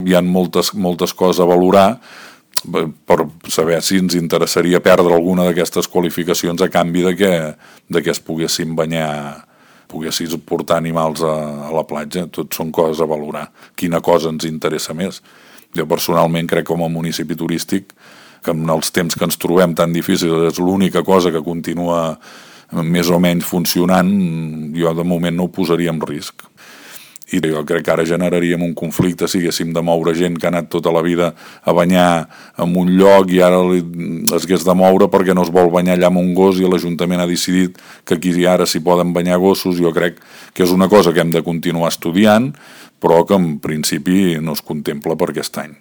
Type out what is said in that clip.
hi ha moltes coses a valorar per saber si ens interessaria perdre alguna d'aquestes qualificacions a canvi de que es poguessin banyar, poguessis portar animals a la platja. Tot són coses a valorar. Quina cosa ens interessa més? Jo personalment crec, com a municipi turístic, que en els temps que ens trobem tan difícils és l'única cosa que continua més o menys funcionant. Jo de moment no ho posaria en risc. I jo crec que ara generaríem un conflicte si haguéssim de moure gent que ha anat tota la vida a banyar en un lloc i ara es hagués de moure perquè no es vol banyar allà amb un gos i l'Ajuntament ha decidit que aquí ara s'hi poden banyar gossos. Jo crec que és una cosa que hem de continuar estudiant, però que en principi no es contempla per aquest any.